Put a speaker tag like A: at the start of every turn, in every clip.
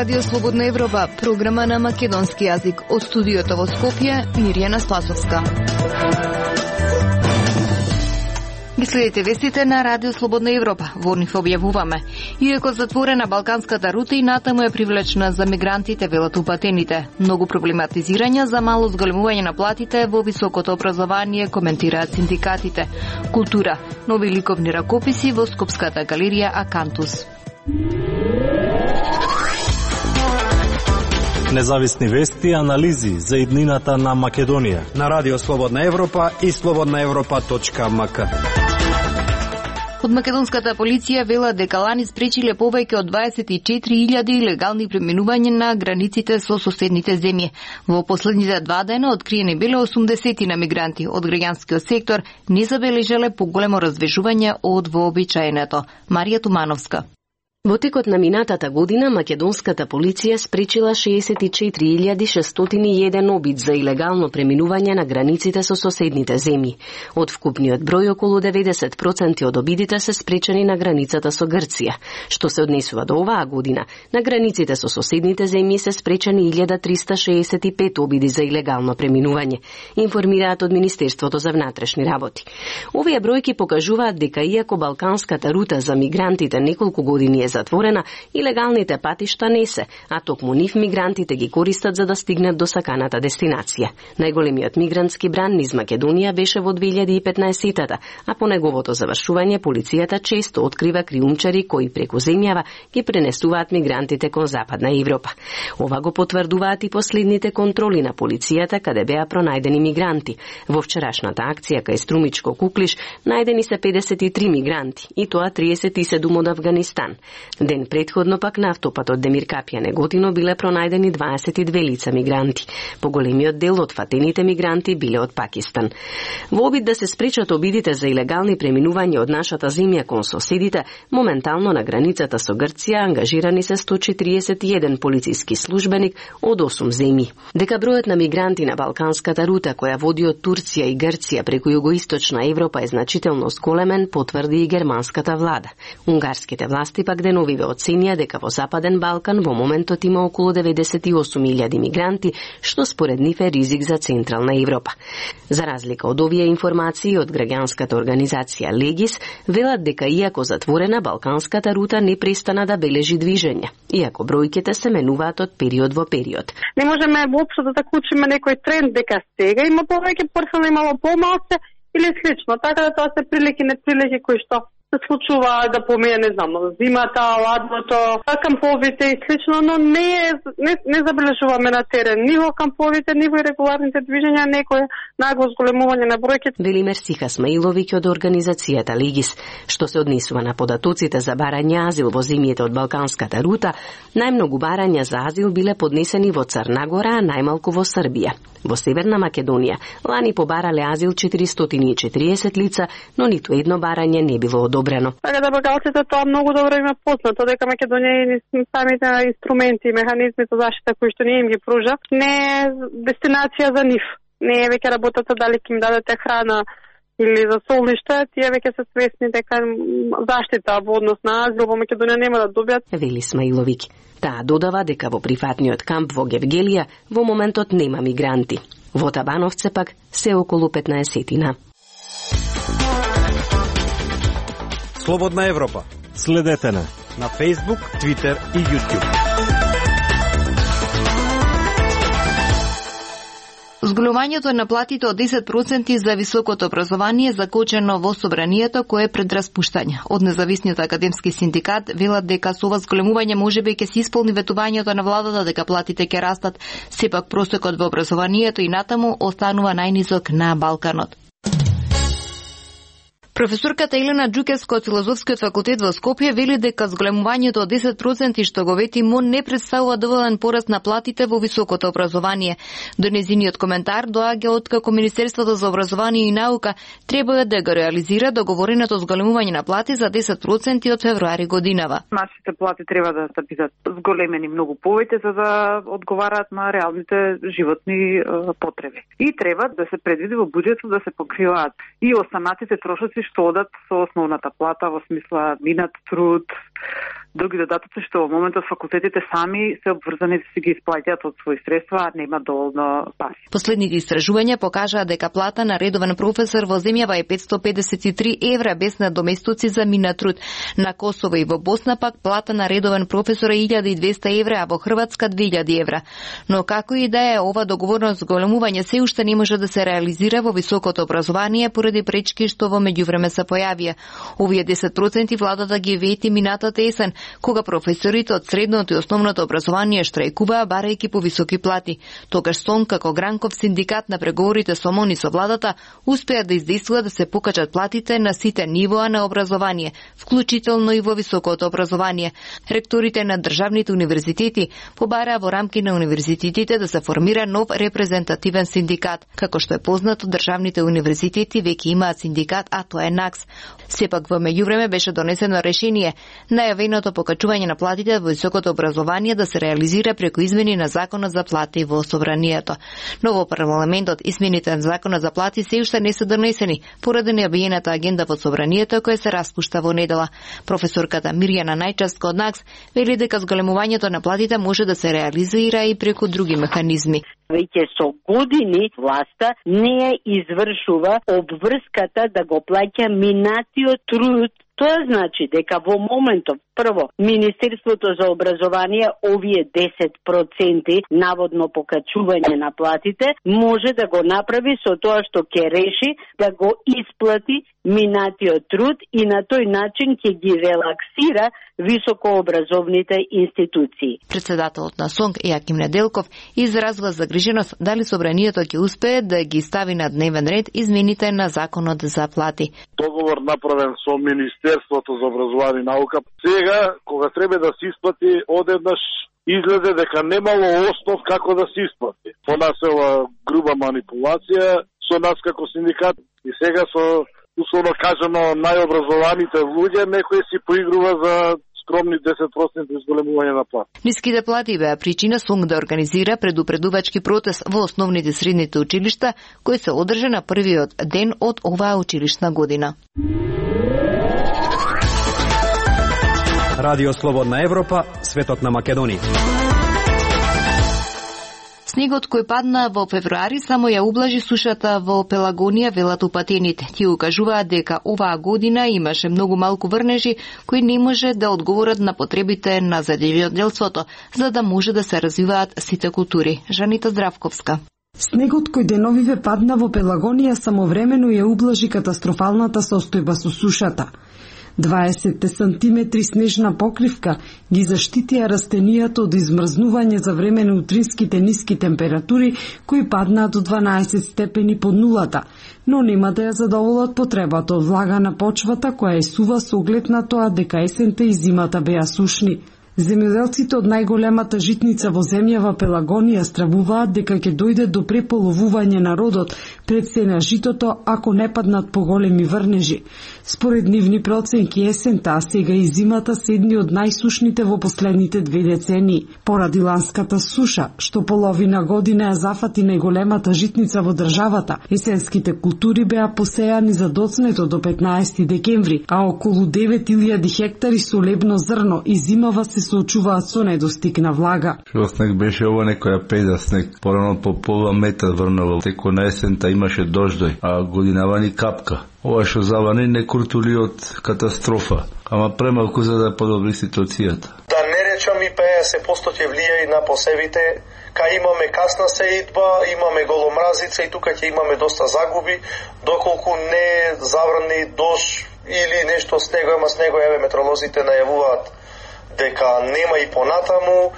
A: Радио Слободна Европа, програма на македонски јазик. Од студиото во Скопје, Мирјана Спасовска. Ги следите вестите на Радио Слободна Европа. Во нив објавуваме. Иако затворена балканската рута и натаму е привлечна за мигрантите, велат упатените. Многу проблематизирања за мало зголемување на платите во високото образование, коментираат синдикатите. Култура. Нови ликовни ракописи во Скопската галерија Акантус.
B: Независни вести и анализи за иднината на Македонија
C: на Радио Слободна Европа и slobodnaevropa.mk.
A: Од македонската полиција вела дека лани спречиле повеќе од 24.000 илегални преминувања на границите со соседните земји. Во последните 2 дена откриени биле 80 на мигранти од граѓанскиот сектор, не забележале поголемо раздвижување од вообичаеното. Марија Тумановска.
D: Во текот на минатата година, македонската полиција спречила 64.601 обид за илегално преминување на границите со соседните земји. Од вкупниот број, околу 90% од обидите се спречени на границата со Грција. Што се однесува до оваа година, на границите со соседните земји се спречени 1365 обиди за илегално преминување, информираат од Министерството за внатрешни работи. Овие бројки покажуваат дека иако балканската рута за мигрантите неколку години е затворена, илегалните патишта не се, а токму нив мигрантите ги користат за да стигнат до саканата дестинација. Најголемиот мигрантски бран низ Македонија беше во 2015-тата, а по неговото завршување полицијата често открива криумчари кои преку земјава ги пренесуваат мигрантите кон Западна Европа. Ова го потврдуваат и последните контроли на полицијата каде беа пронајдени мигранти. Во вчерашната акција кај Струмичко Куклиш најдени се 53 мигранти, и тоа 37 од Авганистан. Ден предходно пак на автопатот Демир Капија Неготино биле пронајдени 22 лица мигранти. Поголемиот дел од фатените мигранти биле од Пакистан. Во обид да се спречат обидите за илегални преминувања од нашата земја кон соседите, моментално на границата со Грција ангажирани се 141 полициски службеник од 8 земји. Дека бројот на мигранти на балканската рута која води од Турција и Грција преку југоисточна Европа е значително зголемен, потврди и германската влада. Унгарските власти пак деновиве оценија дека во Западен Балкан во моментот има околу 98.000 мигранти, што според нив е ризик за Централна Европа. За разлика од овие информации од граѓанската организација Легис, велат дека иако затворена, балканската рута не престана да бележи движење, иако бројките се менуваат од период во период.
E: Не можеме воопшто да заклучиме некој тренд дека сега има повеќе персона, имало помалку или слично, така да тоа се прилики неприлики кои што се случува да помине, не знам, зимата, ладното, камповите и слично, но не забележуваме на терен ни во камповите, ни во регуларните движења некој нагло зголемување на бројките.
D: Вели Мерсиха Смаиловиќ од организацијата Легис. Што се однесува на податоците за барање азил во земјите од балканската рута, најмногу барања за азил биле поднесени во Црна Гора, а најмалку во Србија. Во Северна Македонија лани побарале азил 440 лица, но ниту едно барање не било одобрено.
E: Така да бакалците тоа многу добро има познато, дека Македонија и самите инструменти и механизми за заштита кои што ние им ги пружа, не е дестинација за нив. Не е веќе работата дали ќе им дадете храна или за солниште, тие веќе се свесни дека заштита во однос на азил во Македонија нема да добијат.
D: Вели Смаиловиќ. Таа додава дека во приватниот камп во Гевгелија во моментот нема мигранти. Во Табановце пак се околу 15-тина.
C: Слободна Европа.
B: Следете на
C: Facebook, Twitter и YouTube.
A: Зголемувањето на платите од 10% за високото образование е закочено во собранието кое е пред распуштање. Од независниот академски синдикат велат дека со ова зголемување можеби ќе се исполни ветувањето на владата дека платите ќе растат, сепак просекот во образованието и натаму останува најнизок на Балканот. Професорката Елена Џукевска од Филозофскиот факултет во Скопје вели дека зголемувањето од 10% што го вети МОН не представува доволен пораст на платите во високото образование. До незиниот коментар доаѓа откако Министерството за образование и наука треба да го реализира договореното зголемување на плати за 10% од февруари годинава.
F: Нашите плати треба да бидат зголемени многу повеќе за да одговараат на реалните животни потреби. И треба да се предвиди во буџетот да се покриваат и останатите трошоци што одат со основната плата во смисла минат труд, други додатоци што во моментот факултетите сами се обврзани да си ги исплаќаат од своји средства, а нема доволно пари.
A: Последните истражувања покажаа дека плата на редовен професор во земјава е 553 евра без надоместоци за минат труд. На Косово и во Босна пак плата на редовен професор е 1200 евра, а во Хрватска 2000 евра. Но како и да е, ова договорно зголемување се уште не може да се реализира во високото образование поради пречки што во меѓувреме се појавија. Овие 10% владата ги вети минатата есен, кога професорите од средното и основното образование штрајкуваа барајќи по високи плати. Тогаш СОН како гранков синдикат на преговорите со МОН и со владата успеа да издействува да се покачат платите на сите нивоа на образование, вклучително и во високото образование. Ректорите на државните универзитети побараа во рамки на универзитетите да се формира нов репрезентативен синдикат. Како што е познато, државните универзитети веќе имаат синдикат, а тоа е НАКС. Сепак во меѓувреме беше донесено решение најавеното покачување на платите во високото образование да се реализира преку измени на Законот за плати во Собранието. Но во парламентот измените на Законот за плати се уште не се донесени поради необиената агенда во Собранието која се распушта во недела. Професорката Мирјана Најчевска од НАКС вели дека зголемувањето на платите може да се реализира и преку други механизми.
G: Веќе со години власта не ја извршува обврската да го плаќа минатиот труд. Тоа значи дека во моментов, прво, Министерството за образование овие 10% наводно покачување на платите може да го направи со тоа што ќе реши да го исплати минатиот труд и на тој начин ќе ги релаксира високообразовните институции.
A: Председателот на СОНК Јаким Неделков изразува загриженост дали Собранието ќе успее да ги стави на дневен ред измените на Законот за плати.
H: Договор направен со Министерството за образование и наука. Сега, кога треба да се исплати, одеднаш изгледа дека немало основ како да се исплати. Понасела груба манипулација со нас како синдикат и сега со условно кажано најобразованите луѓе некој си поигрува за скромни 10% изголемување на плати.
A: Ниските плати беа причина СОНК да организира предупредувачки протест во основните средните училишта, кој се одржа на првиот ден од оваа училишна година.
C: Радио Слободна Европа, светот на Македонија.
A: Снегот кој падна во февруари само ја ублажи сушата во Пелагонија, велат упатените. Тие укажуваат дека оваа година имаше многу малку врнежи кои не може да одговорат на потребите на земјоделството, за да може да се развиваат сите култури. Жанита Здравковска.
I: Снегот кој деновиве падна во Пелагонија самовремено ја ублажи катастрофалната состојба со сушата. 20 сантиметри снежна покривка ги заштитија растенијата од измрзнување за време на утринските ниски температури кои паднаа до 12 степени под нулата, но нема да ја задоволат потребата од влага на почвата која е сува со оглед на тоа дека есента и зимата беа сушни. Земјоделците од најголемата житница во земјава Пелагонија стравуваат дека ќе дојде до преполовување на родот пред се на житото ако не паднат поголеми врнежи. Според нивни проценки есента, а сега и зимата се едни од најсушните во последните 2 децении. Поради ланската суша, што половина година ја зафати најголемата житница во државата, есенските култури беа посејани за доцнето до 15 декември, а околу 9000 хектари со лебно зрно и зимава се соочуваат со недостиг на влага.
J: Што снег беше ова некоја педа снег, порано по пола метар врнало, теко на есента имаше дождој, а годинава ни капка. Ова што завани не куртули од катастрофа, ама премалку за да подобри ситуацијата.
K: Да не речам и 50% ќе влијае на посевите, кај имаме касна сеидба, имаме голомразица и тука ќе имаме доста загуби, доколку не заврни дожд или нешто снего, ама снего, еве метеоролозите најавуваат дека нема и понатаму,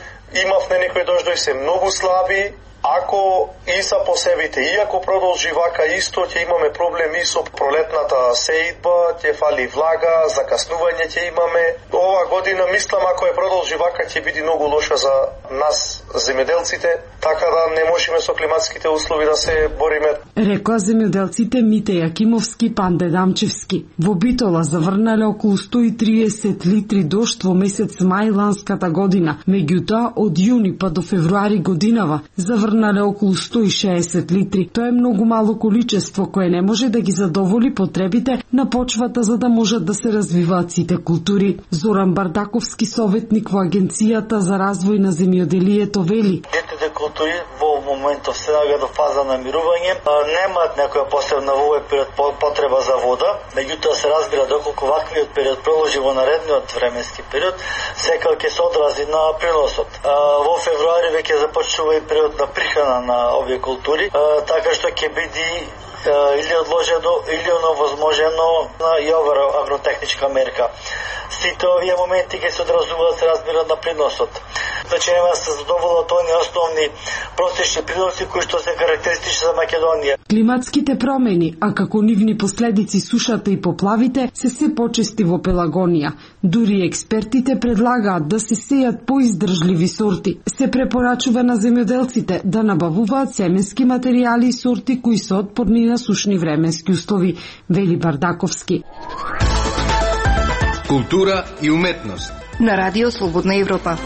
K: имавме некои дождои се многу слаби, ако и за посевите, иако продолжи вака исто, ќе имаме проблеми со пролетната сеидба, ќе фали влага, закаснување ќе имаме. Ова година, мислам, ако е продолжи вака, ќе биде многу лоша за нас, земјоделците, така да не можеме со климатските услови да се бориме.
I: Рекоа земјоделците Мите Јакимовски, Панде Дамчевски. Во Битола заврнале околу 130 литри дожд во месец мај ланската година. Меѓутоа, од јуни па до февруари годинава заврнале изгорнале околу 160 литри. Тоа е многу мало количество кое не може да ги задоволи потребите на почвата за да можат да се развиваат сите култури. Зоран Бардаковски, советник во Агенцијата за развој на земјоделието, вели:
L: Сите култури во моментов се наоѓаат до фаза на мирување, немаат некоја посебна во овој период потреба за вода, меѓутоа се разбира доколку ваквиот период продолжи во наредниот временски период, секако ќе се одрази на приносот. Во февруари веќе започнува и период на прихрана на овие култури, така што ќе биде или одложено или овозможено и ова агротехничка мерка. Сите овие моменти ќе се одразуваат, се разбира, на приносот. Значи нема се задоволат оние основни простични приноси кои што се карактеристични за Македонија.
I: Климатските промени, а како нивни последици сушата и поплавите, се почести во Пелагонија. Дури експертите предлагаат да се сејат поиздржливи сорти. Се препорачува на земјоделците да набавуваат семенски материјали и сорти кои се отпорни на сушни временски услови, вели Бардаковски.
M: Култура и уметност.
A: На Радио Слободна Европа.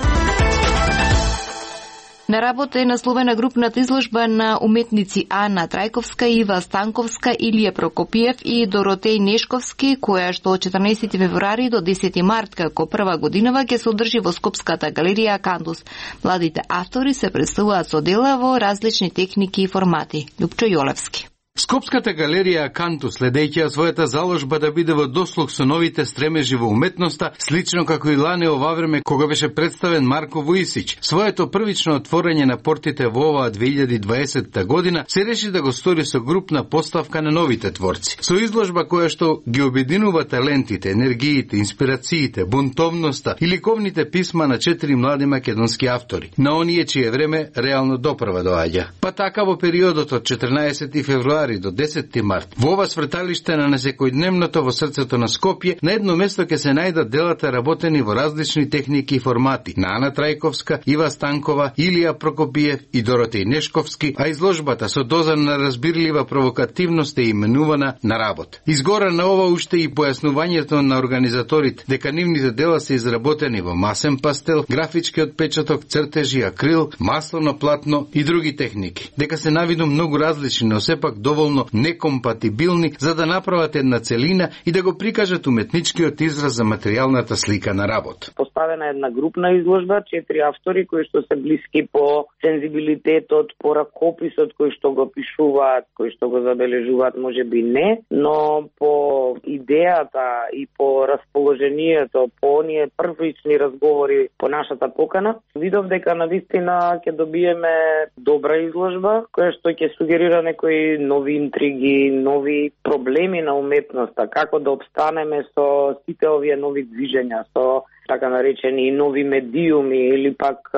A: На работа е насловена групната изложба на уметници Ана Трајковска, Ива Станковска, Илија Прокопиев и Доротеј Нешковски, која што од 14 февруари до 10 март како прва годинава ќе се одржи во Скопската галерија Акантус. Младите автори се представуваат со дела во различни техники и формати. Лупчо Јолевски.
M: Скопската галерија Акантус, следејќи својата заложба да биде во дослуг со новите стремежи во уметноста, слично како и лане ова време кога беше представен Марко Вуисич. Своето првично отворање на портите во оваа 2020 година се реши да го стори со групна поставка на новите творци. Со изложба која што ги обединува талентите, енергиите, инспирациите, бунтовноста и ликовните писма на 4 млади македонски автори, на оние чие време реално допрва доаѓа. Па така во периодот од 14 февруари до 10 март, во ова сврталиште на несекојдневното во срцето на Скопје, на едно место ќе се најдат делата работени во различни техники и формати на Ана Трајковска, Ива Станкова, Илија Прокопиев и Доротеј Нешковски, а изложбата со доза на разбирлива провокативност е именувана На работ. Изгора на ова уште и појаснувањето на организаторите дека нивните дела се изработени во масен пастел, графички отпечаток, цртежи, акрил, маслено платно и други техники. Дека се навиду многу различни, но сепак доволно некомпатибилни за да направат една целина и да го прикажат уметничкиот израз за материјалната слика на работ.
N: Поставена една групна изложба, 4 автори кои што се блиски по сензибилитетот, по ракописот кој што го пишуваат, кој што го забележуваат, можеби не, но по идејата и по расположението, по оние првични разговори по нашата покана, видов дека навистина ќе добиеме добра изложба која што ќе сугерира некои нови интриги, нови проблеми на уметноста, како да обстанеме со сите овие нови движења, со така наречени нови медиуми или пак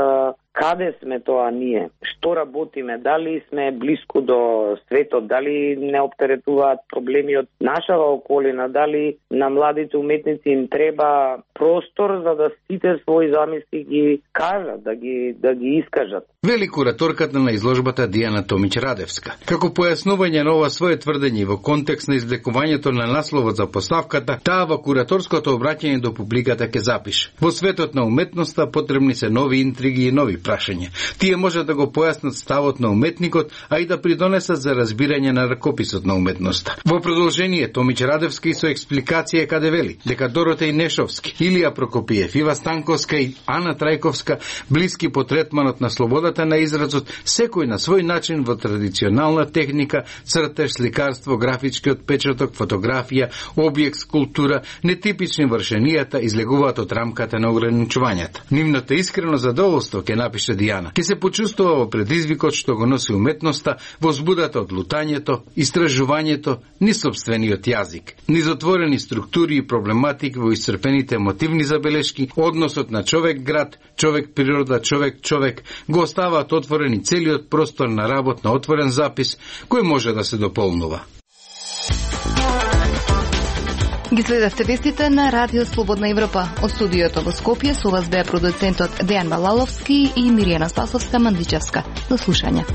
N: каде сме тоа ние, што работиме, дали сме блиску до светот, дали не оптеретуваат проблеми од нашава околина, дали на младите уметници им треба простор за да сите своји замисли ги кажат, да ги искажат.
M: Вели кураторката на изложбата Дијана Томич Радевска. Како појаснување на ова свое тврдење во контекст на извлекувањето на насловот за поставката, таа во кураторското обраќање до публиката ќе запише: во светот на уметноста потребни се нови интриги и нови прашања. Тие може да го појаснат ставот на уметникот, а и да придонесат за разбирање на ракописот на уметноста. Во продолжение Томич Радевски со експликација каде вели дека Доротеј Нешовски, Илија Прокопиев, Ива Станковска и Ана Трајковска блиски по третманот на слободата на изразот, секој на свој начин во традиционална техника, цртеж, сликарство, графички отпечаток, фотографија, објект, скулптура, нетипични вршенијата излегуваат од рамката на ограничувањата. Нивното искрено задоволство, ќе напише Дијана, ќе се почувствува во предизвикот што го носи уметноста, возбудата од лутањето, истражувањето, ни собствениот јазик, низ отворени структури и проблематики во исцрпените мотивни забелешки, односот на човек-град, човек-природа, човек-човек, го оставаат отворени целиот простор на работ на отворен запис, кој може да се дополнува.
A: Ги следавте вестите на Радио Слободна Европа. Од студиото во Скопје со вас беа продуцентот Дејан Балаловски и Миријана Спасовска-Мандичевска. До слушање.